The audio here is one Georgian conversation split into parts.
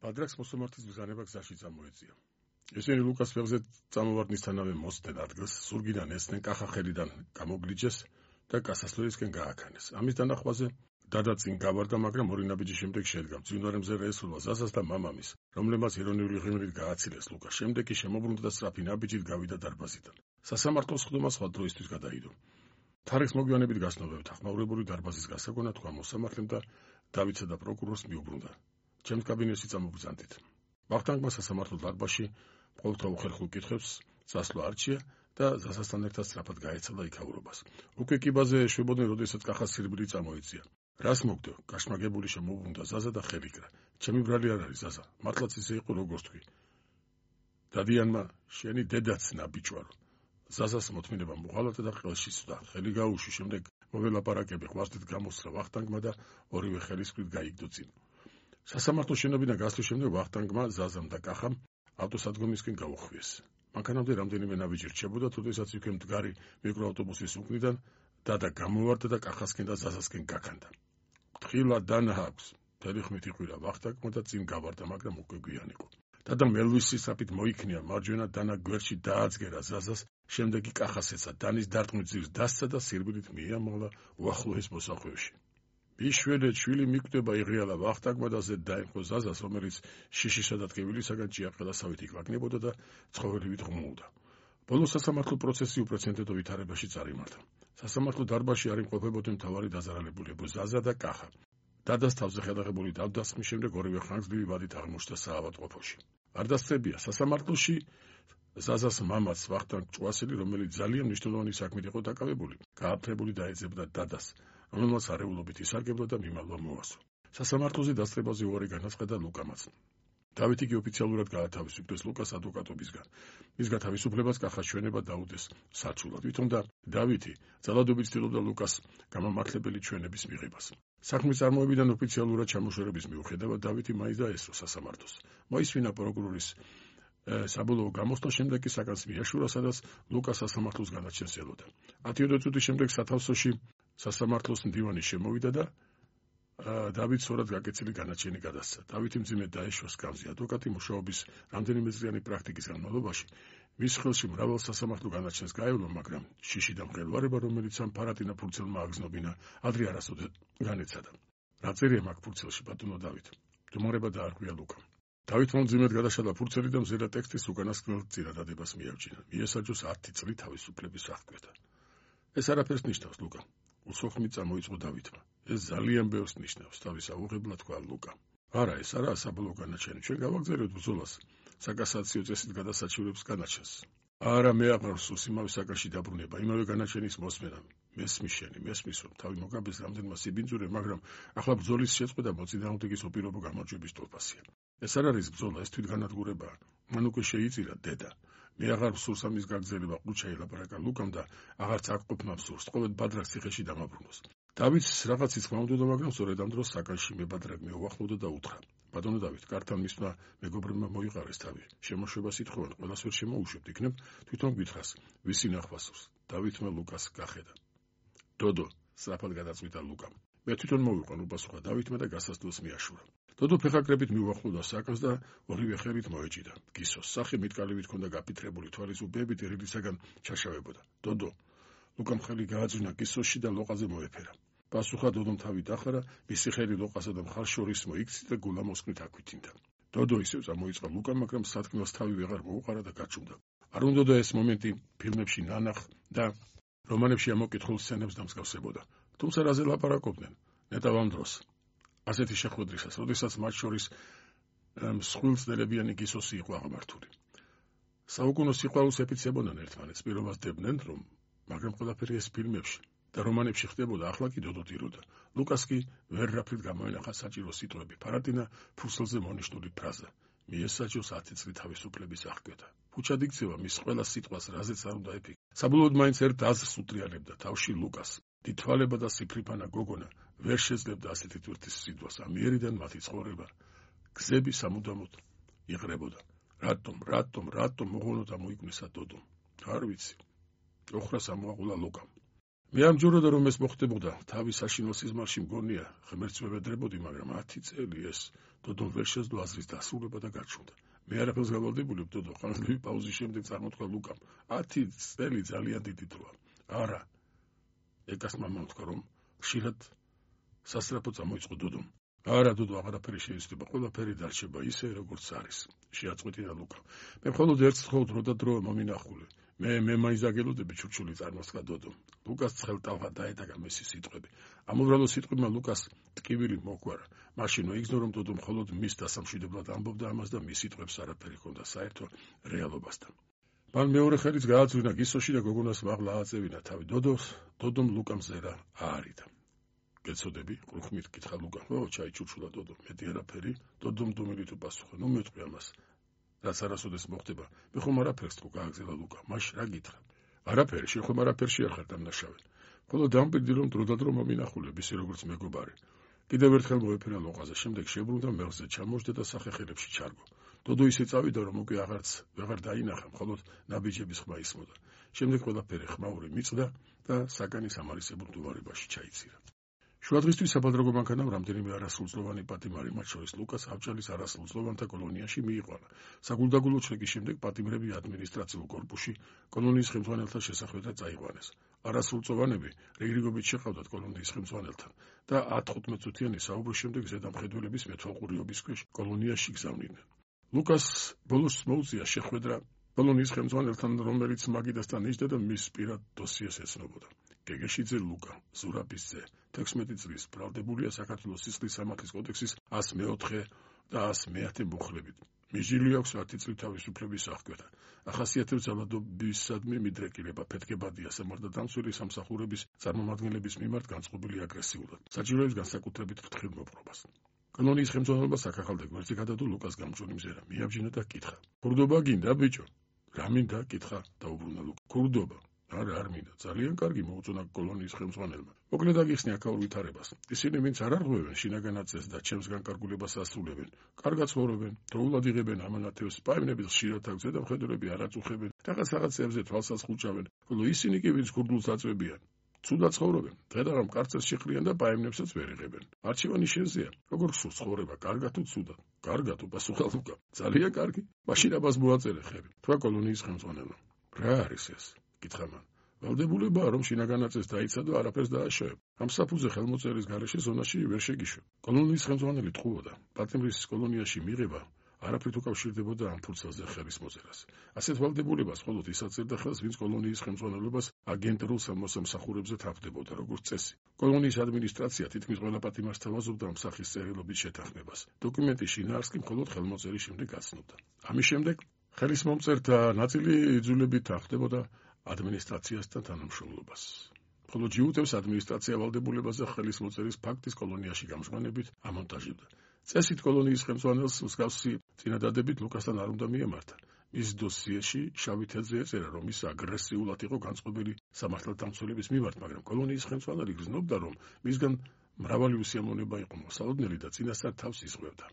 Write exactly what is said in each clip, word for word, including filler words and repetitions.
ბადრაკს მოსამართლის ბრძანება გზაში წამოეწია. ესენი ლუკას ფეხზე წამოვარდნისთანავე მოსდნენ ადგილს, ზურგიდან ესდნენ, კახა ხელიდან გამოგლიჯეს და გასასვლელისკენ გააქანეს. ამის დანახვაზე დადა წინ გავარდა, მაგრამ ორი ნაბიჯი შემდეგ შედგა. მძვინვარე მზე ესრულა ზაზას და მამამის, რომლებმაც ირონიული ღიმილით გააცილეს ლუკა. შემდეგ კი შემოbrunდა და სწრაფი ნაბიჯით გავიდა დარბაზიდან. სასამართლოს ხდომა სხვა დროისთვის გადაიდო. თარიღს მოგვიანებით გასნობებით ახმაურებული დარბაზის გასაგონა თქვა მოსამართლემ და დავითსა და პროკურორს მიუბრუნდა. ჩემს კაბინეტში წამობრძანდით. ვახტანგმა სასამართლო დარბაზში ყოველთა უხერხულ კითხვებს წასვლა არჩია და ზასასთან ერთად სწრაფად გაეცალა იქაურობას. უკვე კიბაზე ეშვებოდნენ, როდესაც კახას სირბილი წამოეწია. რას მოგდო? გაშმაგებული შემოუბრუნდა ზაზა და ხელიკრა. ჩემი ბრალი არ არის ზაზა, მართლაც ისე იყო როგორც თქვი. დადიანმა შენი დედაც ნაბიჯვარო. ზაზას მოთმინება მოღალატა და ყელში სვდა. ხელი გაუში, შემდეგ მოველაპარაკები ღვაწლით გამოსცდა ვახტანგმა და ორივე ხელისკრით გაიგდო წინ. სასამართლოს შენობიდან გასვლის შემდეგ ვახტანგმა, ზაზამ და კახამ ავტოსადგომისკენ გაუხვიეს. მანქანამდე რამდენიმე ნაბიჯი რჩებოდა, თუდესაც იქვე მდგარი მიკროავტობუსის უკნიდან დადა გამოვარდა და კახასკენ და ზაზასკენ გაქანდა. თხილა დანა აქვს. მთელი ხმით იყვირა ვახტანგმა და წინ გავარდა, მაგრამ უკვე გვიან იყო. დადა მელვისის საფით მოიქნია, მარჯვენა დანა გვერდში დააძგერა ზაზას, შემდეგ კი კახას ეცა, დანის დარტყმით ძირს დასცა და სირბილით მიამაღლა უახლოეს მოსახვევში. ბიშველი შვილი მიკვდება იღიალა ვახტანგმა და ზედ დაემხო ზაზას, რომელიც შიშისა და ტკივილისაგან ჭიაყელასავით იკვაკნებოდა და ცხოველივით ღმულდა. ბოლოს სასამართლო პროცესი უპრეცედენტო ვითარებაში წარიმართა. სასამართლო დარბაზში არ იმყოფებოდნენ მთავარი დაზარალებულები ზაზა და კახა. დადას თავზე ხელაღებული დავდასხმის შემდეგ ორივე ხანგრძლივი ვადით აღმოჩნდა საავადმყოფოში. არ დასწრებია სასამართლოში ზაზას მამაც ვახტანგ ჭვასელი, რომელიც ძალიან მნიშვნელოვანი საქმით იყო დაკავებული, გააფთრებული დაეძებდა დადას, რომელმაც არეულობით ისარგებლა და მიმალვა მოასო. სასამართლოზე დასწრებაზე უარი განაცხადა ლუკამაც. დავითი კი ოფიციალურად გაათავისუფლეს ლუკას ადვოკატობისგან. მის გათავისუფლებას კახას ჩვენება დაუდეს საჩულად. თვითონ და დავითი ძალადობით ცდილობდა ლუკას გამამართლებელი ჩვენების მიღებას. საქმის წარმოებიდან ოფიციალურად ჩამოშორების მიუხედავად დავითი მაინც დაესწრო სასამართლოს. მოისმინა პროკურორის საბოლოო გამოსვლა, შემდეგ კი საკანს მიაშურა, სადაც ლუკა სასამართლოს განაჩენს ელოდა. ათიოდე წუთის შემდეგ სათავსოში სასამართლოს მდივანი შემოვიდა და დავით სწორად გაკეთილი განაჩენი გადასცა. დავითი მძიმედ დაეშვა სკამზე. ადვოკატი მუშაობის რამდენიმე წლიანი პრაქტიკის განმავლობაში მის ხელში მრავალ სასამართლო განაჩენს გაევლო, მაგრამ შიში და მღელვარება, რომელიც ამ ფარატინა ფურცელმა აგზნობინა, ადრე არასოდეს განეცადა. რა წერია მაგ ფურცელში, ბატონო დავით? მდგომარეობა დაარღვია ლუკამ. დავითმა მძიმედ გადაშალა ფურცელი და მზედა ტექსტის უკანასკნელ წინადადებას მიაჩინა. მიესაჯოს ათი წლი თავისუფლების აღკვეთა. ეს არაფერს ნიშნავს, ლუკა. უსოხმით წამოიწყო დავითმა. ეს ძალიან ბევრს ნიშნავს, თავის აუღებლად თქვა ლუკა. არა, ეს არაა საბოლოო განაჩენი. ჩვენ გავაგზავნებთ ბრძოლას საკასაციო წესით გადასაჩივრებს განაჩენს. არა, მე აღარ ვსურს იმავე საკანში დაბრუნება, იმავე განაჩენის მოსმენა. მესმის შენი, მესმის რომ თავი მოგაბეს რამდენმა სიბინძურე, მაგრამ ახლა ბრძოლის შეწყვეტა მოწინააღმდეგის უპირობო გამარჯვების თვალსაზრისით. ეს არ არის ბრძოლა, ეს თვითგანადგურებაა. მან უკვე შეიწირა დედა. მე აღარ ვსურს ამის გაგრძელება, ყუჩა ელაპარაკა ლუკამ და აღარც აკყოფნა ვსურს, ყოველ ბადრაკს ციხეში დამაბრუნოს. დავითს რაღაც იცქმა უნდოდა, მაგრამ სწორედ ამ დროს საკანში მე ბადრაკ მეუახლოვდა და უთხრა: ბატონო დავით, კართან მისვლა მეგობრებმა მოიყარეს თავი. შემოშვებას ითხოვენ, ყველას ვერ შემოუშვებთ, იქნებ თვითონ გითხრას, ვისი ნახვა სურს. დავითმა ლუკას გახედა. დოდო, სწრაფად გადაწყვიტა ლუკამ. მე თვითონ მოვიყვან, უპასუხა დავითმა და გასასვლელს მიაშურა. დოდო ფეხაკრებით მიუახლოვდა საკანს და ორივე ხელით მოეჭიდა. გისოს სახე მიტკალივით ჰქონდა გაფითრებული, თვალის უბეებით ერილისაგან ჩაშავებოდა. დოდო, ლუკამ ხელი გააძვნა გისოში და ლოყაზე მოეფერა. პასუხა დოდომ თავი დახარა, მისი ხელი ლოყასა და მხარს შორის მოიქცია და გულა მოსკვნით აქვიტინდა. დოდო ისევ წამოიწყა ლუკამ, მაგრამ სათქმელს თავი ვეღარ მოუყარა და გაჩუმდა. არ უნდოდა ეს მომენტი ფილმებში ნანახ და რომანებში ამოკითხულ სცენებს დამსგავსებოდა. თუმცა რაზე ლაპარაკობდნენ? ნეტავ ამ დროს. ასეთი შეხვედრისას, როდესაც მათ შორის მსხვილწნელებიანი გისოსი იყო აღმართული. საუკუნო სიყვარულს ეფიცებოდნენ ერთმანეთს, პირობას დებდნენ, რომ მაგრამ ყველაფერი ეს ფილმებში და რომანებში ხდებოდა, ახლა კი დოდო ტიროდა. ლუკას კი ვერ რაფრით გამოენახა საჭირო სიტყვები, ფარატინა ფურცელზე მონიშნული ფრაზა. მიესაჯოს ათი წლი თავისუფლების აღკვეთა. ფუჩად იქცევა მის ყველა სიტყვას, რაზეც არ უნდა ეფიქრა. საბოლოოდ მაინც ერთ აზრს უტრიალებდა თავში ლუკას. დიდთვალება და სიფრიფანა გოგონა ვერ შეძლებდა ასეთი თვირთის სიტყვას. ამიერიდან მათი ცხოვრება გზები სამუდამოდ იყრებოდა. რატომ, რატომ, რატომ მოღონოდა მოიკვნესა დოდომ? არ ვიცი. ოხრას ამოაყოლა ლუკამ. მე ამჯეროდა რომ ეს მოხდებოდა, თავის საშინელ სიზმარში მგონია, ღმერთს ვებედრებოდი, მაგრამ ათი წელი ეს დოდომ ვერ შეძლო აზრის დასრულება და გაჩნდა. მე არაფერს გავალდებულებ, დოდო, ხანმოკლე პაუზის შემდეგ წარმოთქვა ლუკამ. ათი წელი ძალიან დიდი დროა. არა. ეკას მამამ თქვა, რომ ხშირად სასწრაფო წამოიწყო დოდომ. არა, დოდო, აღარაფერი შეიცვლება, ყველაფერი დარჩება ისე, როგორც არის. შეაწყვეტინა ლუკამ. მე მხოლოდ ერთ ხო დრო და დრო მომინახულე. მე მე მაიზაგელოდები ჩურჩული წარმოსდგა დოდომ. ლუკას ცხელტალღა დაედაგა მესი სიტყვები. ამობრალო სიტყვებმა ლუკას ტკივილი მოგვარა. მაშინ მოიგზნო რომ დოდომ მხოლოდ მის დასამშვიდებლად ამბობდა ამას და მის სიტყვებს არაფერი ჰქონდა საერთო რეალობასთან. მან მეორე ხელიც გააძვირნა გისოში და გოგონას მაღლა ააწევინა თავი. დოდოს დოდომ ლუკამ ზერა აარიდა. გეცოდები? ყრუხმით კითხა ლუკამ. ო, ჩაიჩურჩულა დოდომ. მეტი არაფერი? დოდომ დუმილით უპასუხა. ნუ მეტყვი ამას. რაც არასოდეს მოხდება. მე ხომ არაფერს თუ გააგზავნა ლუკა. მაშ რა გითხრა? არაფერი, შენ ხომ არაფერში ახარ დამნაშავე. ხოლო დამპირდი რომ დრო და დრო მომინახულებ, ისე როგორც მეგობარი. კიდევ ერთხელ მოეფერა ლოყაზე, შემდეგ შებრუნდა მელზე, ჩამოждდა და სახეხილებში ჩარგო. დოდო ისე წავიდა რომ უკვე აღარც ვეღარ დაინახა, მხოლოდ ნაბიჯების ხმა ისმოდა. შემდეგ ყველაფერი ხმაური მიწდა და საგანის ამარისებურ დუვარებაში ჩაიცირა. შუადღისთვის საბადროგო მანქანამ რამდენიმე არასრულწლოვანი პატიმარი, მათ შორის ლუკას ავჭალის არასრულწლოვანთა კოლონიაში მიიყვანა. საგულდაგულო ჩეკის შემდეგ პატიმრები ადმინისტრაციულ კორპუსში კოლონიის ხელმძღვანელთა შესახვედრად წაიყვანეს. არასრულწლოვანები რიგრიგობით შეყავდათ კოლონიის ხელმძღვანელთან და ათი-თხუთმეტ წუთიანი საუბრის შემდეგ ზედამხედველების მეთვალყურიობის ქვეშ კოლონიაში გზავნიდნენ. ლუკას ბოლოს მოუწია შეხვედრა კოლონიის ხელმძღვანელთან, რომელიც მაგიდასთან იჯდა და მის პირად დოსიეს ეცნობოდა. გეგეშიძე ლუკა, ზურაბის ძე, თექვსმეტი წლის, ბრალდებულია საქართველოს სისხლის სამართლის კოდექსის ას მეოთხე და ას მეათე მუხლებით. მიჯილი აქვს ათი წლით თავისუფლების აღკვეთა. ახასიათებს ძალადობისადმი მიდრეკილება, ფეთქებადია სამართალდამცველი სამსახურების წარმომადგენლების მიმართ განწყობილი აგრესიულად. საჭიროებს განსაკუთრებით ფრთხილმოპყრობას. კოლონიის ხელმძღვანელობა საქახალ დეგმერზე გადადო ლუკას გამჭვირვალე მზერა. მიაბჯენა და კითხა. ქურდობა გინდა, ბიჭო? რა მინდა? კითხა დაუბრუნა ლუკა. ქურდობა. არა, არ მინდა. ძალიან კარგი, მოუწონა კოლონიის ხელმძღვანელმა. მოკლედ აგიხსნი აქაურ ვითარებას. ისინი ვინც არ არღვევენ შინაგანაწესს და ჩემს განკარგულებას ასრულებენ, კარგად ცხოვრობენ, დროულად იღებენ ამანათებს, პაემნების ხშირად აქვს ზედამხედველები არ აწუხებენ, რაღაც რაღაცებზე თვალსას ხუჭავენ, ხოლო ისინი კი ვინც ქურდულს აწვევიან, ცუდად ცხოვრობენ, დღე-დღე კარცერს შეხრიან და პაემნებსაც ვერ იღებენ. არჩევანი შენზეა. როგორ გსურს ცხოვრება, კარგად თუ ცუდად? კარგად, უპასუხა ლუკა. ძალიან კარგი. მაშინ აბას მოაწერე ხები. თქვა კოლონიის ხელმძღვანელმა. რა არის ეს? კითხა მან. ვალდებულებაა რომ შინაგანაწესს დაიცადო, არაფერს დააშოვებ. ამ საფუძე ხელმოწერის გარეშე ზონაში ვერ შეგიშვებ. კოლონიის ხელმძღვანელი ტყუოდა. პატიმრის კოლონიაში მიღება არაფრით უკავშირდებოდა ამ ფურცელზე ხელის მოწერას. ასეთ ვალდებულებას მხოლოდ ის აწერდა ხელს, ვინც კოლონიის ხელმძღვანელობას აგენტურულ სამსახურებზე თავდებოდა, როგორც წესი. კოლონიის ადმინისტრაცია თითქმის ყველა პატიმარს თავაზობდა ამ სახის წერილობით შეთანხმებას. დოკუმენტის შინაარსს კი მხოლოდ ხელმოწერის შემდეგ აცნობდა. ამის შემდეგ ხელის მომწერთა ნაწილი იძულებით თავდებოდა ადმინისტრაციასთან თანამშრომლობას. ხოლო ჯიუტევს ადმინისტრაცია ვალდებულებაზე ხელის მოწერის ფაქტის კოლონიაში გამჟღავნებით ამონტაჟებდა. წესით კოლონიის ხელმძღვანელს მსგავსი წინადადებით ლუკასთან არ უნდა მიემართა. მის დოსიეში შავი თეთრზე ეწერა, რომ ის აგრესიულად იყო განწყობილი სამართალდამცველების მიმართ, მაგრამ კოლონიის ხელმძღვანელი გრძნობდა, რომ მისგან მრავალი უსიამოვნება იყო მოსალოდნელი და წინასწარ თავს იზღვევდა.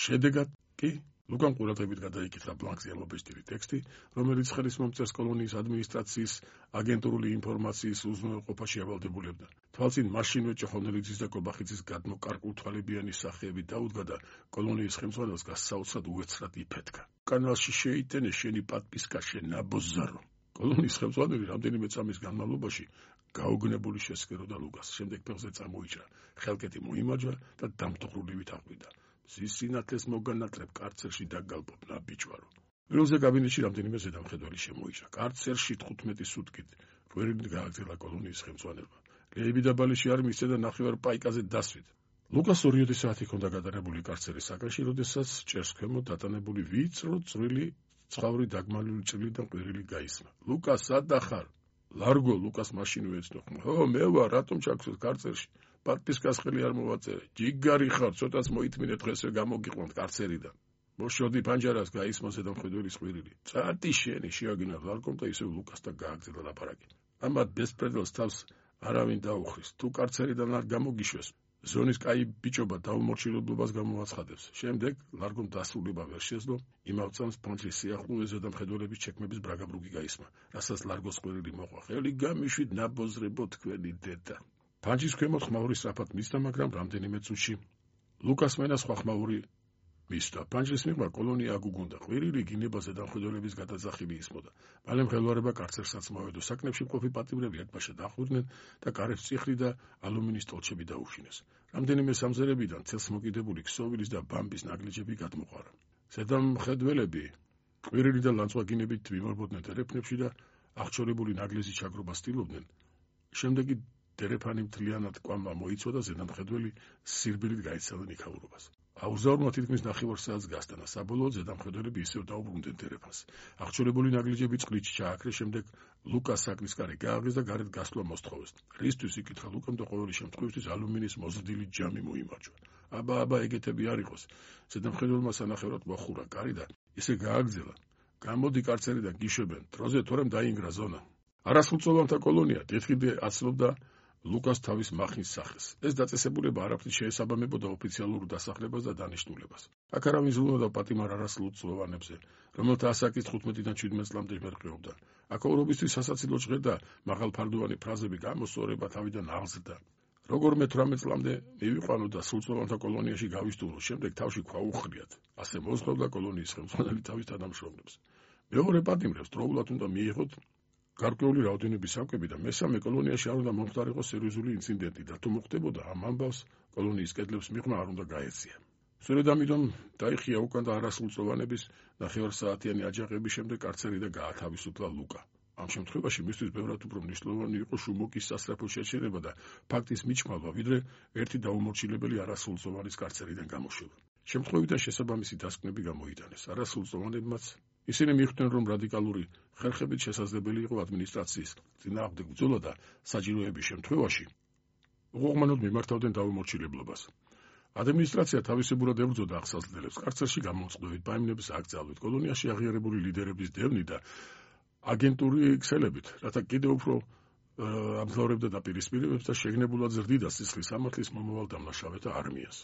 შედეგად კი ლუკამ ყურადღებით გადაიკითხა ბლანკზე ამობეჭდილი ტექსტი, რომელიც ხელის მომწერს კოლონიის ადმინისტრაციის აგენტურული ინფორმაციის უზრუნველყოფაში ავალდებულებდა. თვალწინ მაშინვე ჭოხონელიძის და კობახიძის გადმო კარკულთვალებიანი სახეები დაუდგა და კოლონიის ხელმძღვანელს გასაოცრად უეცრად იფეთქა. კანალში შეიტენე შენი პატპისკა შენ ნაბოზარო. კოლონიის ხელმძღვანელი რამდენიმე წამის განმავლობაში გაუგნებული შესკეროდა ლუკას. შემდეგ ფეხზე წამოიჭრა, ხელკეთი მოიმაჯვა და დამტოხრულივით აყვიდა. ზის სინათლეს მოგანატრებ კარცერში დაგალბობ ნაბიჯვარო. პირველზე კაბინეტში რამდენიმე ზედამხედველი შემოიჭრა. კარცერში თხუთმეტი სუტკით კვირით გააგზავნა კოლონიის ხელმძღვანელმა. ლეიბი და ბალიში არ მისცე და ნახევარ პაიკაზე დასვით. ლუკას ორიოდე საათი ჰქონდა გადარებული კარცერის საკანში, როდესაც ჭერს ქვემოთ დატანებული ვიწრო წვრილი ცხავრი დაგმალული ჭრილი და ყვირილი გაისმა. ლუკა, სადა ხარ? ლარგო, ლუკას მაშინვე ეცნო ხმა. ო, მე ვარ, რატომ ჩაგცვეს კარცერში? პატპისკას ხელი არ მოვაწერე. ჯიგარი ხარ, ცოტას მოითმინე დღესვე გამოგიყვანთ კარცერიდან. მოშოდი პანჯარას გაისმოს ზედამხედველის ყვირილი. წარტი შენი, შეაგინა ლარგომ და ისევ ლუკასთან გააგზავნა ლაპარაკი. ამათ ბესპრედელს თავს არავინ დაუხრის. თუ კარცერიდან არ გამოგიშვეს, ზონის კაი ბიჭობა დაუმორჩილებლობას გამოაცხადებს. შემდეგ ლარგომ დასრულება ვერ შეძლო, იმავე წამს პანჩის სიახლოვეზე და მხედველების ჩექმების ბრაგაბრუგი გაისმა, რასაც ლარგოს ყვირილი მოყვა. ხელი გამიშვით ნაბოზრებო თქვენი დედა. პანჩის ქვემოთ ხმაური სწრაფად მისდა, მაგრამ რამდენიმე წუთში ლუკას მენა სხვა ხმაური მისდა. პანჩის მიღმა კოლონია აგუგუნდა. ყვირილი გინებაზე და მხედველების გადაძახილი ისმოდა. მალე მღელვარება კარცერსაც მოვედო. საკნებში მყოფი პატიმრები ერთბაშად დახვიდნენ და კარებს წიხლი და ალუმინის ტოლჩები დაუშინეს. რამდენიმე სამზერებიდან ცელს მოკიდებული ქსოვილის და ბამბის ნაგლეჯები გადმოყარა. ზედამხედველები ყვირილი და ლანწვაგინებით მიმარბოდნენ დერეფნებში და აღჭურებული ნაგლეზის ჩაგრობას ცდილობდნენ. შემდეგ დერეფანი მთლიანად კვამმა მოიცვა და ზედამხედველი სირბილით გაეცალა ნიქაურობას. აუზაურმა თითქმის ნახევარ საათს გასტანა. საბოლოოდ ზედამხედველები ისევ დაუბრუნდნენ დერეფანს. აღჭურებული ნაგლეჯები წყლით ჩააქრეს, შემდეგ ლუკას საკნის კარი გააღეს და გარეთ გასვლა მოსთხოვეს. რისთვის იკითხა ლუკამ და ყოველი შემთხვევისთვის ალუმინის მოზრდილი ჯამი მოიმარჯვა. აბა აბა ეგეთები არ იყოს. ზედამხედველმა სანახევრად მოახურა კარი და ისე გააგზელა. გამოდი კარცერიდან გიშვებენ. დროზე თორემ დაინგრა ზონა. არასრულწლოვანთა კოლონია დეთხიდე აცლობდა ლუკას თავის მახნის სახეს. ეს დაწესებულება არაფრით შეესაბამებოდა ოფიციალურ დასახლებას და დანიშნულებას. აქ არავინ ზრუნავდა პატიმარ არასრულწლოვანებზე, რომელთა ასაკის თხუთმეტიდან შვიდმეტ წლამდე მერყეობდა. აკაურობისთვის სასაცილო ჟღერდა მაღალფარდოვანი ფრაზები გამოსწორება თავიდან აღზრდა. როგორმე თვრამეტ წლამდე მივიყვანო და სრულწლოვანთა კოლონიაში გავისტუმრო, შემდეგ თავში ქვაუხრიათ. ასე მოზღავდა კოლონიის ხელმძღვანელი თავის თანამშრომლებს. მეორე პატიმრებს დროულად უნდა მიიღოთ გარკვეული რაოდენობის სამკები და მესამე კოლონიაში არ უნდა მომხდარიყო სერიოზული ინციდენტი და თუ მოხდებოდა ამ ამბავს კოლონიის კედლებს მიღმა არ უნდა გაეცია. სწორედ ამიტომ დაიხია უკან და არასრულწლოვანების ნახევარსაათიანი აჯანყების შემდეგ კარცერიდან გაათავისუფლა ლუკა. ამ შემთხვევაში მისთვის ბევრად უფრო მნიშვნელოვანი იყო შუმოკის სასწრაფო შეჩერება და ფაქტის მიჩმალვა, ვიდრე ერთი დაუმორჩილებელი არასრულწლოვანის კარცერიდან გამოშვება. შემთხვევიდან შესაბამისი დასკვნები გამოიტანეს. არასრულწლოვანებმაც ისინი მიხვდნენ, რომ რადიკალური ხერხებით შესაძლებელი იყო ადმინისტრაციის წინააღმდეგ ბრძოლა და საჭიროების შემთხვევაში უღრმანოდ მიმართავდნენ დაუმორჩილებლობას. ადმინისტრაცია თავისებურად ებრძოდა აღსაზრდელებს, კარცერში გამომწყდებით, ბაიმნების აკრძალვით, კოლონიაში აღიარებული ლიდერების დევნით და აგენტური ქსელებით, რათა კიდევ უფრო ამძლავრებდა დაპირისპირებებს და შეგნებულად ზრდიდა სისხლის სამართლის მომავალ დამნაშავეთა არმიას.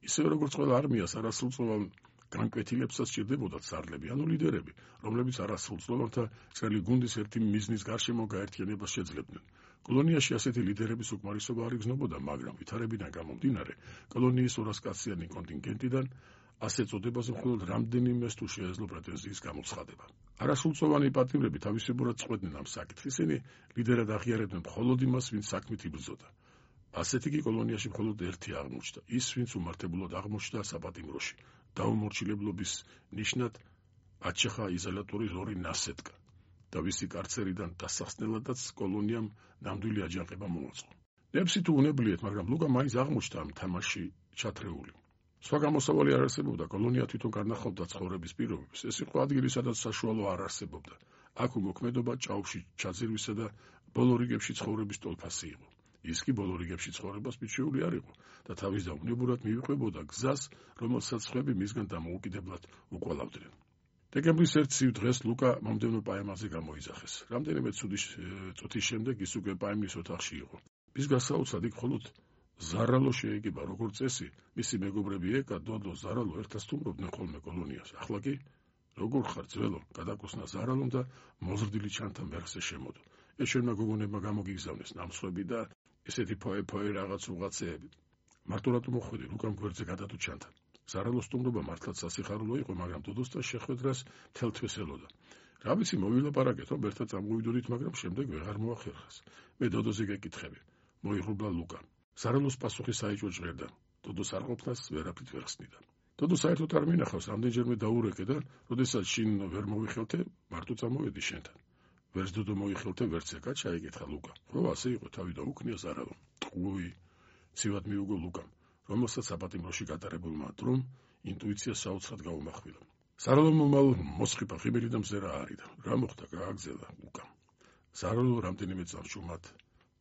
ისევე როგორც ყველა არმიას არასრულწლოვან განკვეთილებსაც სჭირდებოდათ სარდლები, ანუ ლიდერები, რომლებიც არასრულწლოვანთა წერილი გუნდის ერთი მიზნის გარშემო გაერთიანებას შეძლებდნენ. კოლონიაში ასეთი ლიდერების უკმარისობა არ იგრძნობოდა, მაგრამ ვითარებიდან გამომდინარე, კოლონიის ორასკაციანი კონტინგენტიდან ასე წოდებაზე მხოლოდ რამდენიმეს თუ შეეძლო პრეტენზიის გამოცხადება. არასრულწლოვანი პატიმრები თავისებურად წყვეტდნენ ამ საკითხს, ისინი ლიდერად აღიარებდნენ მხოლოდ იმას, ვინც საქმით იბრძოდა. ასეთი კი კოლონიაში მხოლოდ ერთი აღმოჩნდა, ის, ვინც უმართებულად აღმოჩნდა საპატიმროში. დაუმორჩილებლობის ნიშნად აჩეხა იზოლატორის ორი ნასეტკა და ვისი კარცერიდან დასახსნელადაც კოლონიამ ნამდვილი აჯანყება მოაწყო. ნებსი თუ უნებლიეთ, მაგრამ ლუკა მაინც აღმოჩნდა ამ თამაში ჩათრეული. სხვა გამოსავალი არ არსებობდა, კოლონია თვითონ განახავდა ცხოვრების პირობებს. ეს იყო ადგილი, სადაც საშუალო არ არსებობდა. აქ უმოქმედობა ჭაობში ჩაძირვისა და ბოლო რიგებში ცხოვრების ტოლფასი იყო. ის კი ბოლო რიგებში ცხოვრებას მიჩვეული არ იყო და თავის დაუნებურად მივიყვებოდა გზას, რომელსაც სხვები მისგან დამოუკიდებლად უყოლავდნენ. დეკემბრის ერთ ცივ დღეს ლუკა მომდევნო პაემაზე გამოიძახეს. რამდენიმე წუთის შემდეგ ის უკვე პაემის ოთახში იყო. მის გასაოცრად იქ მხოლოდ ზარალო შეეგება, როგორც წესი, მისი მეგობრები ეკა, დოდო, ზარალო ერთად სტუმრობდნენ ხოლმე კოლონიას. ახლა კი როგორ ხარ ძველო, გადაკუსნა ზარალომ და მოზრდილი ჩანთა მერხზე შემოდო. ეს შენმა გოგონებმა გამოგიგზავნეს ნამსხვები და ესეთი ფოე-ფოე რაღაც უღაცეები. მარტო რატომ მოხვედი, ლუკამ გვერდზე გადადო ჩანთა. ზარალოს სტუმრობა მართლაც სასიხარულო იყო, მაგრამ დოდოსთან შეხვედრას მთელ თვეს ელოდა. რა ვიცი, მოვილაპარაკეთ, რომ ერთად წამოვიდოდით, მაგრამ შემდეგ ვეღარ მოახერხეს. მე დოდოზე გეკითხები, მოიღრუბლა ლუკა. ზარალოს პასუხი საეჭვო ჟღერდა. დოდოს არ ყოფნას ვერაფრით ვერ ხსნიდა. დოდო საერთოდ არ მინახავს, რამდენჯერმე დაურეკე და როდესაც შინ ვერ მოვიხელთე, მარტო წამოვედი შენთან. ვერც დოდო მოიხელთე, ვერც ეკა, ჩაიგეთხა ლუკა. ხო, ასე იყო, თავი დაუქნია ზარალო. ტყუი, ცივად მიუგო ლუკამ, რომელსაც საპატიმროში გატარებულმა დრომ ინტუიცია საოცრად გაუმახვილა. ზარალომ მომალ მოსხიფა ხიბელი და მზერა არიდა. რა მოხდა, გააგზელა ლუკამ. ზარალო რამდენიმე წამს ჟუმად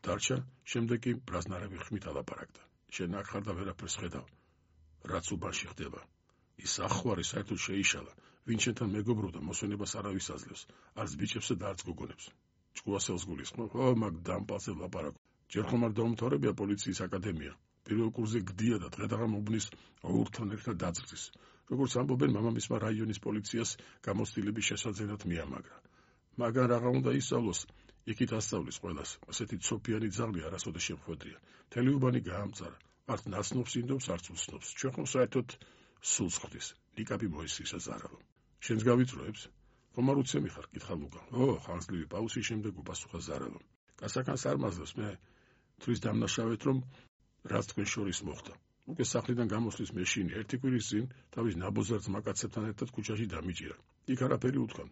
დარჩა, შემდეგ კი ბრაზნარები ხმით ალაპარაკდა. შენ აქ ხარ და ვერაფერს ხედავ, რაც უბანში ხდება. ის ახვარი საერთოდ შეიშალა, ვინ შენთან მეგობრობდა, მოსვენებას არავის აძლევს, არც ბიჭებსა და არც გოგონებს. ჭკუასელს გულისხმობ, ხო, მაგ დამპალზე ვლაპარაკობ. ჯერ ხომ არ დაუმთავრებია პოლიციის აკადემია. პირველ კურსზე გდია და დღე-დღე მობნის ოურთან ერთად დაძრდის. როგორც ამბობენ, მამამისმა რაიონის პოლიციას გამოცდილების შესაძლებლად მიამაგრა. მაგრამ რაღა უნდა ისწავლოს, იქით ასწავლის ყველას. ასეთი ცოფიანი ძაღლი არასოდეს შემხვედრია. მთელი უბანი გაამწარა. არც ნაცნობს ინდობს, არც უცნობს. ჩვენ ხომ საერთოდ სულს ხვდის. ნიკაპი მოისრისა ზარავო. შენს გავიწროებს? ხომ არ უცემი ხარ? კითხა ლუკა. ო, ხანძლივი პაუზის შემდეგ უპასუხა ზარავო. გასაკანს არ მაძლევს მე თვლის დამნაშავეთ, რომ რაც თქვენ შორის მოხდა. უკვე სახლიდან გამოსვლის მეშინი ერთი კვირის წინ თავის ნაბოზარ ძმაკაცებთან ერთად ქუჩაში დამიჭირა. იქ არაფერი უთქვამ.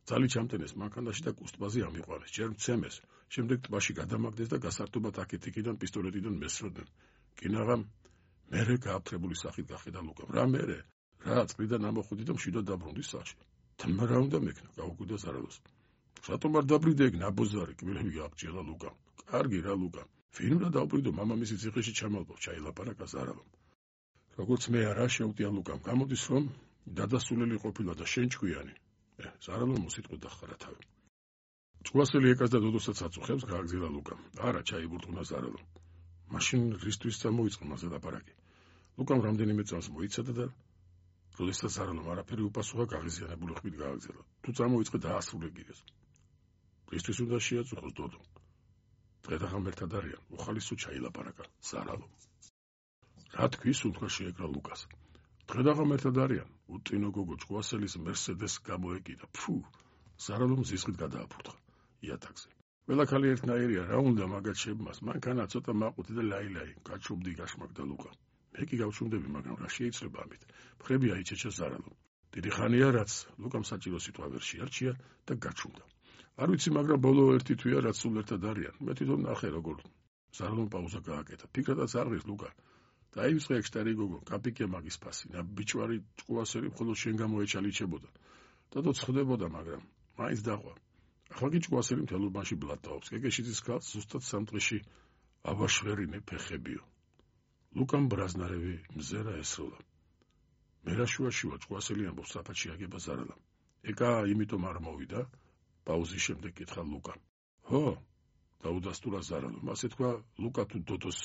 ძალი ჩამტენეს მანქანაში და კუსტბაზე ამიყვანეს. ჯერ მცემეს, შემდეგ ტბაში გადამაგდეს და გასართობად აქეთ-იქიდან პისტოლეტიდან მესროდნენ. კინაღამ მერე გააფრთხებული სახით გახედა ლუკამ. რა მერე? რა წლიდან ამოხვიდი და მშვიდად დაბრუნდი სახლში. თმა რა უნდა მექნა, გაუკვირდა ზარავოს. რატომ არ დაბრიდე ეგ ნაბოზარი? კბილები გააგჭირა ლუკამ. კარგი რა ლუკა. ვინ უნდა დავბრიდო, მამამისი ციხეში ჩამალბო, ჩაილაპარაკა ზარავამ. როგორც მე არა შევტია ლუკამ. გამოდის რომ დადასულელი ყოფილა და შენ ჭკვიანი. ე, ზარავამ მოსიტყვი დახარა თავი. ჭკვასელი ეკას და დოდოსაც აწუხებს, გააგზავნა ლუკამ. არა, ჩაიბურტყუნა ზარავამ. მაშინ რისთვის წამოიწყო მასე ლაპარაკი. ლუკამ რამდენიმე წამს მოიცადა და როდესაც ზარავამ არაფერი უპასუხა, გაღიზიანებული ხმით გააგზავნა. თუ წამოიწყე დაასრულე გიგეს. რისთვის უნდა შეაწუხოს დოდო? დღე-დღე ერთად არიან, უხალისო ჩაილაპარაკა ზარავამ. რა თქვის? უთქვა შეეკრა ლუკას. დღე-დღე ერთად არიან, უტინო გოგო ჭკვასელის მერსედეს გამოეკიდა. ფუ, ზარავამ ზისხით გადააფურთხა იატაკზე. ყველა ქალი ერთნაირია, რა უნდა მაგათ შებმას, მანქანა ცოტა მაყუთი და ლაილაი, გაჩუმდი გაშმაგდა ლუკა. მე კი გავჩუმდები, მაგრამ რა შეიძლება ამით? მხრები აიჩეჩა ზარავამ. დიდი ხანია რაც ლუკამ საჭირო სიტყვა ვერ შეარჩია და გაჩუმდა. არ ვიცი, მაგრამ ბოლო ერთი თვეა რაც სულ ერთად არიან. მე თვითონ ნახე როგორ. ზარავამ პაუზა გააკეთა. ფიქრადაც არ ღირს ლუკა. დაივიწყე ეგ შტარი გოგო, კაპიკე მაგის ფასი, და ბიჭვარი ჭკვასელი მხოლოდ შენ გამოეჩალიჩებოდა. დადო ცხდებოდა, მაგრამ მაინც დაყვა. ახლა კი ჭკვასელი მთელ უბანში ბლატაობს. გეგეშიძის ქალს ზუსტად სამტყეში აბაშვერინე ფეხებიო. ლუკამ ბრაზნარევი მზერა ესროლა. მერაშუაში ვარ, ჭკვასელი ამბობს, საფათში აგება ზარალამ. ეკა იმიტომ არ მოვიდა? პაუზის შემდეგ კითხა ლუკამ. ჰო, დაუდასტურა ზარალამ. ასე თქვა, ლუკა თუ დოდოს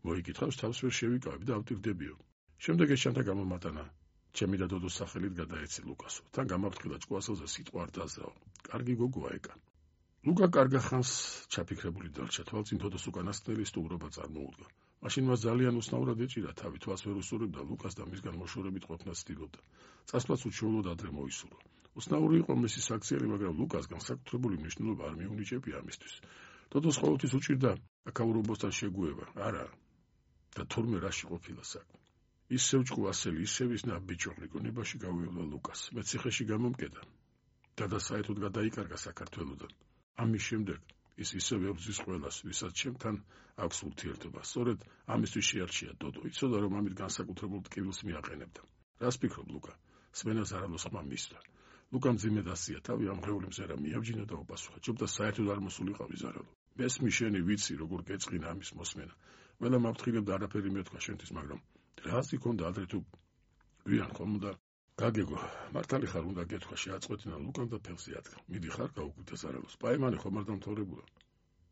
მოიკითხავს, თავს ვერ შევიკავებ და ავტირდებიო. შემდეგ ეს ჩანთა გამომატანა. ჩემი და დოდოს სახელით გადაეცი ლუკასო. თან გამაფრთხილა ჭკვასელზე სიტყვა არ დააზრაო. კარგი გოგოა ეკა. ლუკა კარგა ხანს ჩაფიქრებული დარჩა. თვალწინ დოდოს უკანასკნელი სტუმრობა წარმოუდგა. მაშინ მას ძალიან უცნაურად ეჭირა თავი, თვალს ვერ უსურვებდა ლუკას და მისგან მოშორებით ყოფნას ცდილობდა. წასვლაც უჩვეულოდ ადრე მოისურვა. უცნაური იყო მისი საქციელი, მაგრამ ლუკას განსაკუთრებული მნიშვნელობა არ მიუნიჭებია ამისთვის. დოდოს ყოველთვის უჭირდა აკაურობოსთან შეგუება. არა. და თურმე რაში ყოფილა საქმე. ისევ ჭკვასელი, ისევ ის ნაბიჯოღლი გონებაში გავივალა ლუკას. მე ციხეში გამომკედა. დადა საერთოდ გადაიკარგა საქართველოდან. ამის შემდეგ ის ისევ ებრძვის ყველას, ვისაც ჩემთან აქვს ურთიერთობა. სწორედ ამისთვის შეარჩია დოდო. იცოდა რომ ამით განსაკუთრებულ ტკივილს მიაყენებდა. რას ფიქრობ ლუკა? სმენა ზარავოს ხმა მისცა. ლუკამ ძიმე დასია თავი, ამღრეული მზერა მიაბჯინა და უპასუხა. ჭობდა საერთოდ არ მოსულიყავი ზარავო. მესმი შენი ვიცი როგორ გეწყინა ამის მოსმენა. ყველა მაფრთხილებდა არაფერი მეთქვა შენთვის, მაგრამ რას იქონდა ადრე თუ გვიან ხომ უნდა გაგეგო, მართალი ხარ უნდა გეთქვა შეაწყვეტინა ლუკამ და ფეხზე ადგა. მიდი ხარ გაუკვირდა ზარავოს. პაიმანი ხომ არ დამთავრებულა?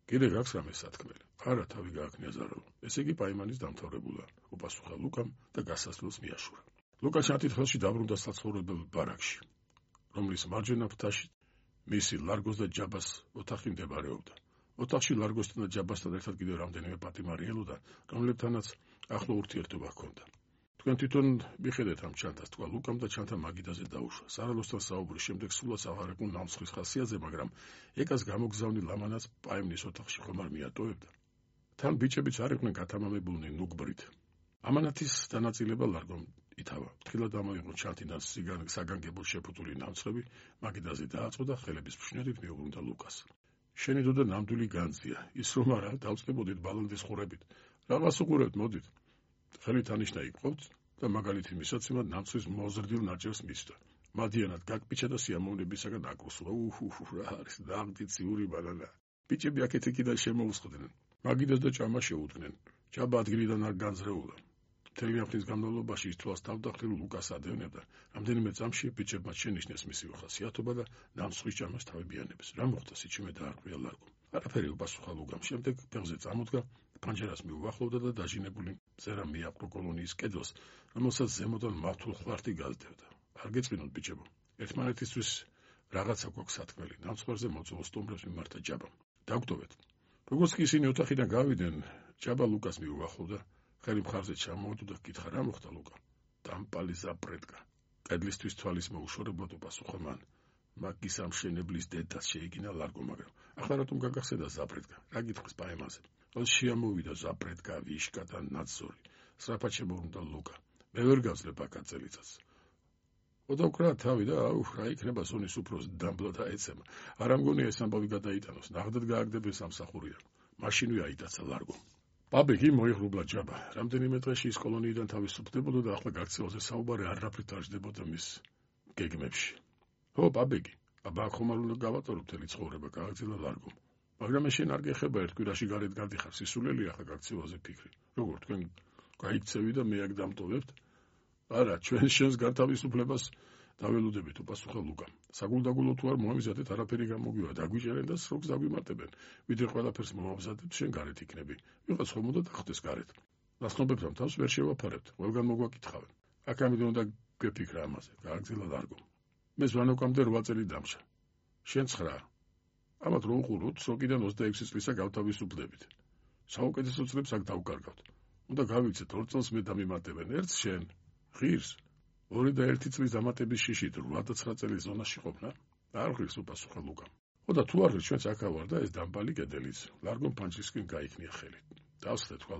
კიდე გაქვს რამე სათქმელი? არა, თავი გააქმნია ზარავო. ესე იგი პაიმანის დამთავრებულა, უპასუხა ლუკამ და გასასვლელს მიაშურა. ლუკა ჩათით ხელში დაბრუნდა საცხოვრებელ ბარაკში, რომლის მარჯვენა ფრთაში მისი ლარგოს და ჯაბას ოთახი მდებარეობდა. ოთახში ლარგოსთან და ჯაბასთან ერთად კიდევ რამდენიმე პატიმარი ელოდა, რომლებთანაც ახლო ურთიერთობა ჰქონდა. თქვენ თვითონ მიხედეთ ამ ჩანთას, თქვა ლუკამ და ჩანთა მაგიდაზე დაუშვა. ზარალოსთან საუბრის შემდეგ სულაც აღარებულ ნამსხრის ხასიათზე, მაგრამ ეკას გამოგზავნი ლამანაც პაიმნის ოთახში ხომ არ მიატოვებდა. თან ბიჭებიც არ იყვნენ გათამამებულნი ნუგბრით. ამანათის დანაწილება ლარგომ ითავა. ფრთხილად ამოიღო ჩანთიდან საგანგებოდ შეფუთული ნამცხრები, მაგიდაზე დააწყო და ხელების ფშნერით მიუბრუნდა ლუკას. შენი დოდა ნამდვილი განძია, ის რომ არა, დავწყებოდით ბალანდის ხურებით. რაღაც უყურებთ, მოდით. ხელით ანიშნა იყვოთ და მაგალითი მისაცემად ნამცხრის მოზრდილ ნაჭერს მისდა. მადიანად გაკპიჩა და სიამოვნებისაგან აკრუსლა. უჰუჰუ, რა არის დაღდი ციური ბანანა. ბიჭები აქეთ-იქიდან შემოუსხდნენ. მაგიდას და ჭამა შეუდგნენ. ჭაბა ადგილიდან არ განზრეულა. მთელი ამის განმავლობაში ის თვალს თავდახილ ლუკას ადევნებდა. რამდენიმე წამში ბიჭებმა შენიშნეს მისი უხასიათობა და ნამსხვის ჭამას თავებიანებს. რა მოხდა სიჩიმე დაარღვია ლარგომ. არაფერი უპასუხა ლუკამ. შემდეგ ფეხზე წამოდგა, პანჯერას მიუახლოვდა და დაჟინებული მწერა მიაპყრო კოლონიის კედელს, რომელსაც ზემოდან მართულ ხვართი გაზდევდა. არ გეწყინოთ ბიჭებო, ერთმანეთისთვის რაღაცა გვაქვს სათქმელი. ნამსხვერზე მოწვეულ სტუმრებს მიმართა ჭაბამ. დაგვტოვეთ. როგორც კი ისინი ოთახიდან გავიდნენ, ჭაბა ლუკას მიუახლოვდა, ხელი მხარზე ჩამოუდგა და კითხა რა მოხდა ლუკა. დამპალი ზაპრეტკა. კედლისთვის თვალის მოუშორებლად უპასუხა მან. მაგის ამშენებლის დედას შეიგინა ლარგო, მაგრამ ახლა რატომ გაგახსენდა ზაპრეტკა? რა გითხრის პაემაზე? ოს შეამოვიდა ზაპრეტკა, ვიშკა და ნაცორი. სწრაფად შემოუნდა ლუკა. მე ვერ გავძლებ აკაცელიცას. ოდავკრა თავი და აუ, რა იქნება სონის უფროს დამბლა და ეცემა. არ ამგონია ეს ამბავი გადაიტანოს. ნახდად გააგდებენ სამსახურია. მაშინვე აიტაცა ლარგო. პაბეგი მოიღრუბლა ჭაბა. რამდენიმე დღეში ის კოლონიიდან თავისუფლებოდა და ახლა გაქცევაზე საუბარი არაფრით არ ჯდებოდა მის გეგმებში. ო, პაბეგი, აბა ხომ არ უნდა გავატარო მთელი ცხოვრება, გააგრძელა ლარგომ. მაგრამ შენ არ გეხება ერთ კვირაში გარეთ გადიხარ, სისულელია ახლა გაქცევაზე ფიქრი. როგორ თქვენ გაიქცევი და მე აქ დამტოვებთ? არა, ჩვენ შენს განთავისუფლებას დაველოდებით, უპასუხა ლუკამ. საგულდაგულო თუ არ მოამზადეთ, არაფერი გამოგვივა, დაგვიჭერენ და სროქს დაგვიმარტებენ. ვიდრე ყველაფერს მოამზადებ, შენ გარეთ იქნები. ვიღაც ხომ უნდა დახდეს გარეთ. ნაცნობებთან თავს ვერ შევაფარებთ, ყველგან მოგვაკითხავენ. აქ ამიტომ უნდა გვეფიქრა ამაზე, გააგრძელა ლარგომ. მე ზვანოკამდე რვა წელი დამშა. შენ ცხრა. ამათ რო უყუროთ, სროკიდან ოცდაექვსი წლისა გავთავისუფლდებით. საუკეთესო წლებს აქ დავკარგავთ. უნდა გავიქცეთ ორ წელს მე დამიმატებენ, ერთს შენ. ღირს ორი და ერთი წლის დამატების შიშით რვა და ცხრა წელი ზონაში ყოფნა? არ ღირს, უპასუხა ლუკამ. ოდა თუ არ ღირს, ჩვენც აქ ავარ და ეს დამბალი კედელიც. ლარგომ პანჯრისკენ გაიქნია ხელი. დავსხდე თქვა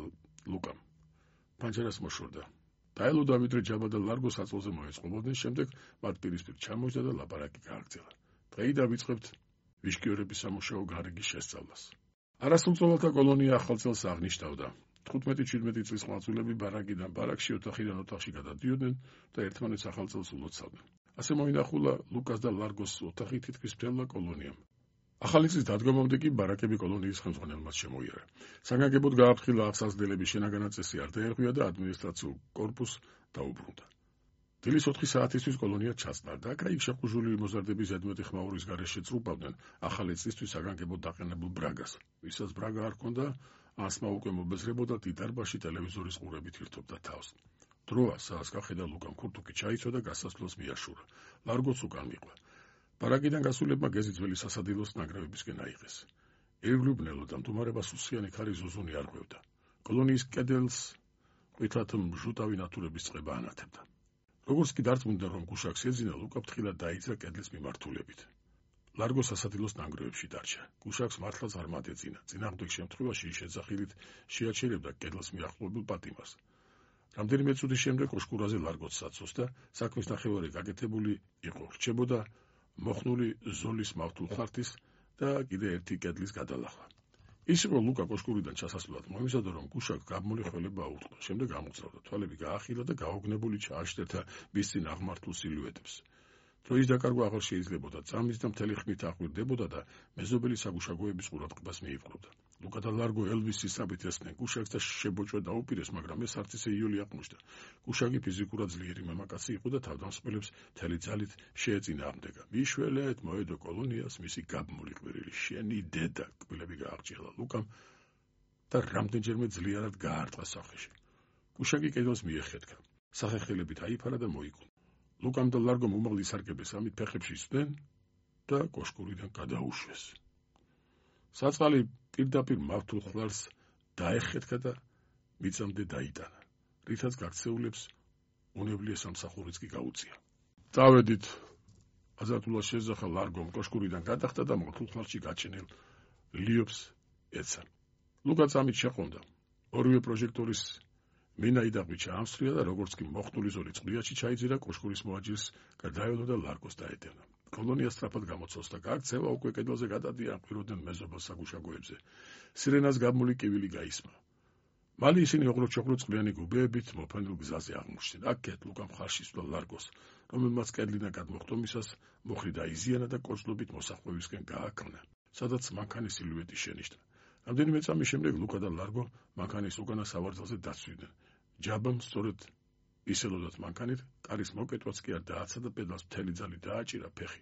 ლუკამ. პანჯერას მოშორდა. დაელოდა ვიდრე ჭაბა და ლარგო საწოლზე მოეწყობოდნენ, შემდეგ მათ პირისპირ ჩამოჯდა და ლაპარაკი გააგრძელა. დღეიდან ვიწყებთ ვიშკიორების სამუშაო გარიგის შესწავლას. არასრულწლოვანთა კოლონია ახალ წელს აღნიშნავდა. თხუთმეტი-შვიდმეტი წლის ხმალწულები ბარაკიდან ბარაკში, ოთახიდან ოთახში გადადიოდნენ და ერთმანეთს ახალ წელს ულოცავდნენ. ასე მოინახულა ლუკას და ლარგოს ოთახი თითქმის მთელმა კოლონიამ. ახალი წლის დადგომამდე კი ბარაკები კოლონიის ხელმძღვანელმაც შემოიარა. საგანგებოდ გააფრთხილა აღსაზრდელების შენაგანა წესი არ დაერღვია და ადმინისტრაციულ კორპუსს დაუბრუნდა. დილის ოთხი საათისთვის კოლონია ჩასტარდა. აქა-იქ შეყუჟული მოზარდების ზედმეტი ხმაურის გარეშე წრუპავდნენ ახალი წლისთვის საგანგებოდ დაყენებულ ბრაგას. ვისაც ბრაგა არ ჰქონდა, ასმა უკვე მობეზრებოდა დიდარბაში ტელევიზორის ყურებით ირთობდა თავს. დროა საას გახედა ლუკამ ქურთუკი ჩაიცვა და გასასვლელს მიაშურა. ლარგოც უკან მიყვა. ბარაკიდან გასულებმა გეზი ძველი სასადილოს ნანგრევებისკენ აიღეს. ირგლუბნელო და მდგომარეობა სუსიანი ქარი ზუზუნი არ ღვევდა. კოლონიის კედელს ყვითლად მჟუტავი ნათურების წყება ანათებდა. როგორც კი დარწმუნდა, რომ გუშაკს ეძინა, ლუკა ფრთხილად დაიძრა კედლის მიმართულებით. ლარგო სასადილოს ნანგრევებში დარჩა. გუშაკს მართლაც არ მადეძინა. წინააღმდეგ შემთხვევაში შეძახილით შეაჩერებდა კედელს მიახლოებულ პატიმარს. რამდენიმე წუთის შემდეგ ოშკურაზე ლარგოც საცოს და საქმის ნახევარი გაკეთებული იყო. რჩებოდა მოხნული ზოლის მავთულ ხართის და კიდე ერთი კედლის გადალახვა. ის იყო ლუკა კოშკურიდან ჩასასვლელად მოიმზადა, რომ გუშაკ გაბმული ხველება აუწყდა. შემდეგ ამოძრავდა, თვალები გაახილა და გაოგნებული ჩააშტერთა მის წინ აღმართულ სილუეტებს. დროის დაკარგვა აღარ შეიძლებოდა, წამის და მთელი ხმით აღვირდებოდა და მეზობელი საგუშაგოების ყურადღებას მიიპყრობდა. ლუკა და ლარგო ელვის სისაბით ესხნენ გუშაკს და შებოჭვა დაუპირეს, მაგრამ ეს არც ისე იოლი აღმოჩნდა. გუშაკი ფიზიკურად ძლიერი მამაკაცი იყო და თავდამსხმელებს მთელი ძალით შეეწინააღმდეგა. მიშველეთ მოედო კოლონიას მისი გაბმული ყვირილი, შენი დედა, კბილები გააღჭილა ლუკამ და რამდენჯერმე ძლიერად გაარტყა სახეში. გუშაკი კედელს მიეხეთქა. სახეხილებით აიფარა და მოიკუნა. ლუკამ და ლარგომ უმაღლი სარკების ამით ფეხებში ისვდნენ და კოშკურიდან გადაუშვეს. საწყალი პირდაპირ მავთულ ხლარს დაეხეთქა და მიწამდე დაიტანა, რითაც გაქცეულებს უნებლიე სამსახურიც კი გაუწია. წავედით, აზართულად შეძახა ლარგომ, კოშკურიდან გადახტა და მავთულ ხლარში გაჩენილ ლიობს ეცა. ლუკა წამით შეყონდა. ორივე პროჟექტორის მინაიდაღი ჩაამსრია და როგორც კი მოხტული ზოლი წყლიაში ჩაიძირა, კოშკურის მოაჯირს გადაევლო და ლარგოს დაედევნა. კოლონია სწრაფად გამოცავს და გაქცევა უკვე კედელზე გადადიან, ყვიროდნენ მეზობელ საგუშაგოებზე. სირენას გაბმული კივილი გაისმა. მალე ისინი ოღროჩოღრო წყლიანი გუბეებით მოფენილ გზაზე აღმოჩნდნენ. აქეთ ლუკა მხარში სვლა ლარგოს, რომელმაც კედლიდან გადმოხტომისას მოხრი დაიზიანა და კოჭლობით მოსახვევისკენ გააქრნა, სადაც მანქანის სილუეტი შენიშნა. რამდენიმე წამის შემდეგ ლუკა და ლარგო მანქანის უკანა სავარძელზე დაცვიდნენ. ჯაბამ სწორედ ისელოდათ მანქანით, კარის მოკეთვაც კი არ დააცა და პედალს მთელი ძალით დააჭირა ფეხი.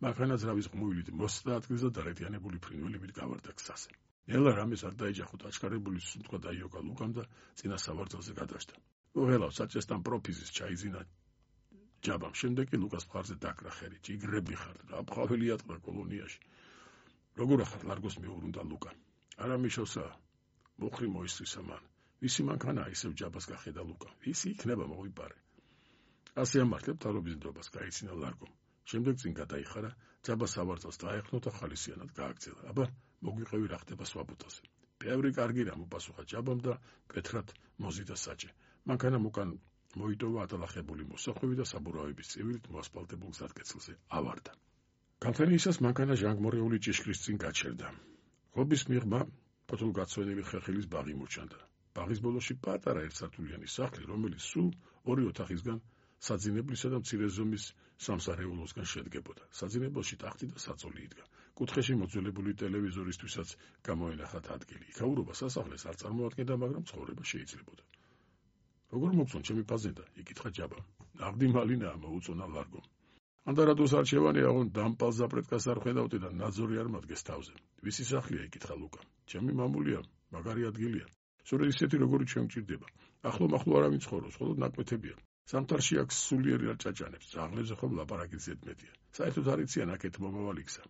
მანქანა ძრავის ღმუილით მოსცდა ადგილზე და დარეთიანებული ფრინველებით გავარდა გზაზე. ნელა რამეს არ დაეჯახოთ აჩქარებული სუნთქვა დაიოკა ლუკამ და წინა სავარძელზე გადაშდა. უღელავ საჭესთან პროფიზის ჩაიძინა ჯაბამ. შემდეგ კი ლუკას მხარზე დაკრა ხერი. ჯიგრები ხარ, რა ბღაველი ატყდა კოლონიაში. როგორ ახარ ლარგოს მეურუნდა ლუკა. არა მიშოსა, მოხრი მოისრისა მან. ვისი მანქანაა ისევ ჯაბას გახედა ლუკა. ვისი იქნება მოვიპარე. ასე ამართლებ თავრობის ნდობას გაიცინა ლარგომ. შემდეგ წინ გადაიხარა, ჯაბა სავარძელს დაეხნო და ხალისიანად გააგზავნა. აბა, მოგვიყევი რა ხდება სვაბუთაზე. ბევრი კარგი რამ უპასუხა ჯაბამ და კეთრად მოზიდა საჭე. მანქანამ უკან მოიტოვა ატალახებული მოსახვევი და საბურავების წევილით მოასფალტებულ გზატკეცილზე ავარდა. გამთენიისას მანქანა ჟანგმორეული ჭიშკრის წინ გაჩერდა. ღობის მიღმა ფოთოლგაცვენილი ხეხილის ბაღი მოჩანდა. ბაღის ბოლოში პატარა ერთსართულიანი სახლი, რომელიც სულ ორი ოთახისგან საძინებლისა და მცირე ზომის სამსარეულოსგან შედგებოდა. საძინებელში ტახტი და საწოლი იდგა. კუთხეში მოძველებული ტელევიზორისთვისაც გამოენახათ ადგილი. იქაურობა სასახლეს არ წარმოადგენდა, მაგრამ ცხოვრება შეიძლებოდა. როგორ მოგწონ ჩემი ფაზენდა? იკითხა ჯაბა. ნაღდი მალინაა, მოუწონა ლარგომ. ანდარადოს არჩევანი აღონ დამპალ ზაპრეტკას არ ხედავდი და ნაძორი არ მადგეს თავზე. ვისი სახლია? იკითხა ლუკა. ჩემი მამულია, მაგარი ადგილია. სწორედ ისეთი როგორი ჩვენ გჭირდება. ახლო-მახლო არავინ ცხოვრობს, მხოლოდ ნაკვეთებია. სამთარში აქ სულიერი არ ჭაჭანებს, ძაღლებზე ხომ ლაპარაკი ზედმეტია. საერთოდ არ იციან აქეთ მომავალი გზა.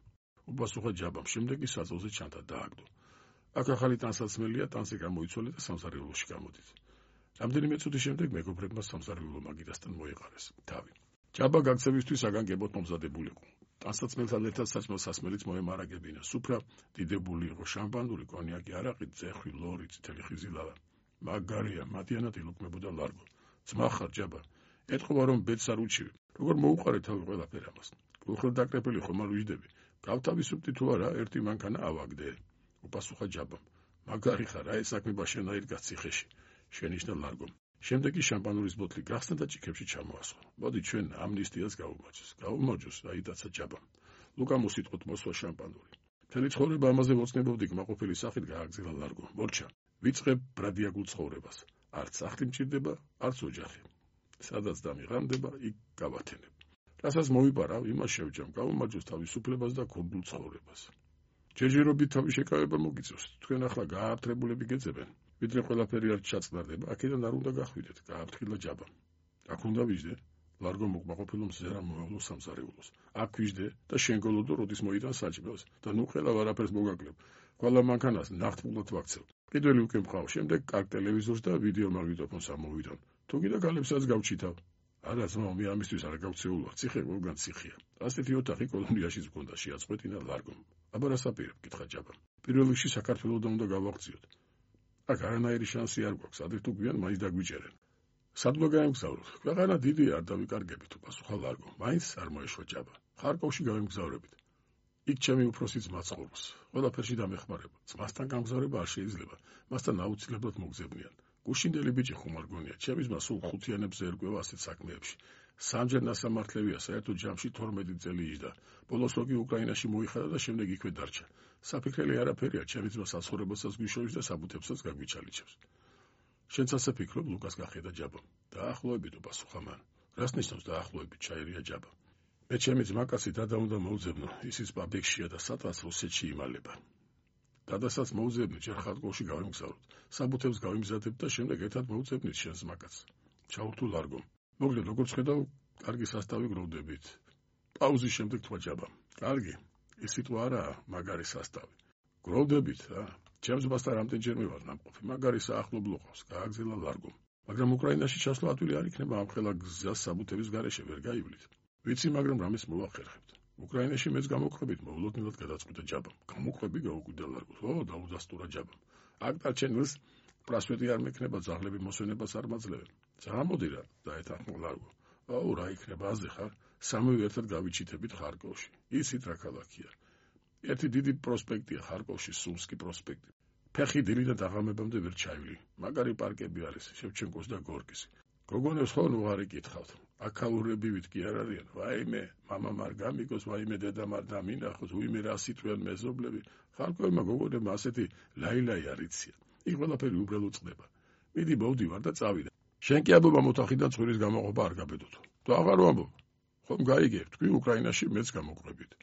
უპასუხა ჯაბამ, შემდეგ კი საწოლზე ჩანდა დააგდო. აქ ახალი ტანსაცმელია, ტანსი გამოიცვალე და სამზარეულოში გამოდით. რამდენიმე წუთის შემდეგ მეგობრებმა სამზარეულო მაგიდასთან მოეყარეს თავი. ჯაბა გაქცევისთვის აგანგებოდ მომზადებულიყო. ტანსაცმელთან ერთად საჭმელ სასმელიც მოემარაგებინა. სუფრა დიდებული იყო, შამპანური, კონიაკი, არაყი, ძეხვი, ლორი, წითელი ხიზი ლავა. მაგარია, მათიანად ილუქმებოდა ლარგო. ძმა ხარ ჯაბა. ეთყობა რომ ბედს არ უჩივი. როგორ მოუყარე თავი ყველაფერ ამას? გულხილდაკრეფილი ხომ არ ვიждები. გავთავისუფლდი თუ არა, ერთი მანქანა ავაგდე. უპასუხა ჯაბამ. მაგარი ხარ, აი საქმე შენაირ გაციხეში. შენიშნა ლარგომ. შემდეგ კი შამპანურის ბოთლი გახსნა და ჭიქებში ჩამოასხა. მოდი ჩვენ ამნისტიას გავუმოჯოს. გავუმოჯოს, აიტაცა ჯაბამ. ლუკამ უსიტყვოდ მოსვა შამპანური. მთელი ცხოვრება ამაზე ვოცნებობდი, კმაყოფილი სახით გააგზავნა ლარგო. მორჩა, ვიწყებ ბრადიაგულ ცხოვრებას. არც სახლი მჭირდება, არც ოჯახი. სადაც დამიღანდება, იქ გავათენებ. რასაც მოვიპარავ, იმას შევჯამ, გავუმაჯოს თავისუფლებას და გონდულ ცხოვრებას. ჯერჯერობით თავის შეკავება მოგიწევს. თქვენ ახლა გააფთრებულები გეძებენ. ვიდრე ყველაფერი არ ჩაწყნარდება, აქედან არ უნდა გახვიდეთ, გააფრთხილა ჯაბა. აქ უნდა ვიждე, ლარგო მოკმაყოფილო მზერა მოავლო სამზარეულოს. აქ ვიждე და შენ გოლოდო როდის მოიტან საჭმელს და ნუ ხელა არაფერს მოგაკლებ. ყველა მანქანას ნახტმულად ვაქცევ. კიდევ უკვე მყავ, შემდეგ კარგ ტელევიზორს და ვიდეო მაგნიტოფონს ამოვიდონ. თუ კიდე გალებსაც გავჩითავ. არა ძმა, მე ამისთვის არ გავქცეულვარ, ციხე ყველგან ციხეა. ასეთი ოთახი კოლონიაშიც გქონდა, შეაწყვეტინა ლარგომ. აბა რა საპირებ, კითხა ჯაბა. პირველ რიგში საქართველოსთან უნდა გავაღწიოთ. აქ არანაირი შანსი არ გვაქვს, ადრე თუ გვიან მაინც დაგვიჭერენ. სად უნდა გაემგზავროთ? ქვეყანა დიდია, არ დავიკარგებით, უპასუხა ლარგო. მაინც არ მოეშვა ჯაბა. ხარკოვში გავემგზავრებით. იქ ჩემი უფროსი ძმა ცხოვრობს. ყველაფერში დამეხმარება. ძმასთან გამგზავრება არ შეიძლება. მასთან აუცილებლად მოგზებნიან. გუშინდელი ბიჭი ხომ არ გონია, ჩემი ძმა სულ ხუთიანებზე ერკვევა ასეთ საქმეებში. სამჯერ ნასამართლევია, საერთოდ ჯამში თორმეტი წელი იჯდა. ბოლოს ოგი უკრაინაში მოიხადა და შემდეგ იქვე დარჩა. საფიქრელი არაფერია, ჩემი ძმა საცხოვრებასაც გვიშოვის და საბუთებსაც გაგვიჩალიჩებს. შენც ასე ფიქრობ? ლუკას გახედა ჯაბა. დაახლოებით, უპასუხა მან. რას ნიშნავს დაახლოებით? ჩაერია ჯაბა. მე ჩემი ძმაკაცი დადა უნდა მოვძებნო, ისიც პაბლიკშია და სადღაც რუსეთში იმალება. დადასაც მოვძებნი, ჯერ ხარკოვში გავიმგზავროთ. საბუთებს გავიმზადებ და შემდეგ ერთად მოვძებნით შენს ძმაკაცს. ჩაურთულ ლარგომ. მოგდე, როგორც ხედავ, კარგი სასტავი გროვდებით. პაუზის შემდეგ თქვა ჯაბამ. კარგი, ეს სიტყვა არაა, მაგარი სასტავი. გროვდებით, რა. ჩემს ძმასთან რამდენჯერმე ვარ ნამყოფი, მაგარი საახლობლო ყავს, გააგზავნა ლარგომ. მაგრამ უკრაინაში ჩასვლა ადვილი არ იქნება, ამ ხელა გზას საბუთების გარეშე ვერ გაივლით. ვიცი, მაგრამ რამეს მოვახერხებთ. უკრაინაში მეც გამოგყვებით, მოულოდნელად გადაწყვიტა ჯაბამ. გამოგყვები, გაუკვირდა ლარგო. ო, დაუდასტურა ჯაბამ. აქ დარჩენილს პრასვეტი არ მექნება, ძაღლები მოსვენებას არ მაძლევენ. წამოდი რა, დაეთანხმა ლარგო. აუ, რა იქნება, აზე ხარ? სამივე ერთად გავიჩიტებით ხარკოვში. ისიც რა ქალაქია. ერთი დიდი პროსპექტია ხარკოვში, სულსკი პროსპექტი. ფეხი დილიდან დაღამებამდე ვერ ჩაივლი. მაგარი პარკები არის, შევჩენკოს და გორკის. გოგონებს ხო ნუ არ იკითხავთ. აქაურებივით კი არ არიან. ვაიმე, მამამ არ გამიგოს, ვაიმე დედამ არ დამინახოს, უიმე რა სიტყვიან მეზობლები. ხარკოვმა გოგონებმა ასეთი ლაილაი არ იციან. იქ ყველაფერი უბრალოდ წყდება. მიდი მოვდივარ და წავიდა. შენ კი ამბობა მოთახიდან ცხვირის გამოყოფა არ გაბედოთ. თუ აღარ ვამბობ, ხომ გაიგებ, თქვი უკრაინაში მეც გამოყვებით.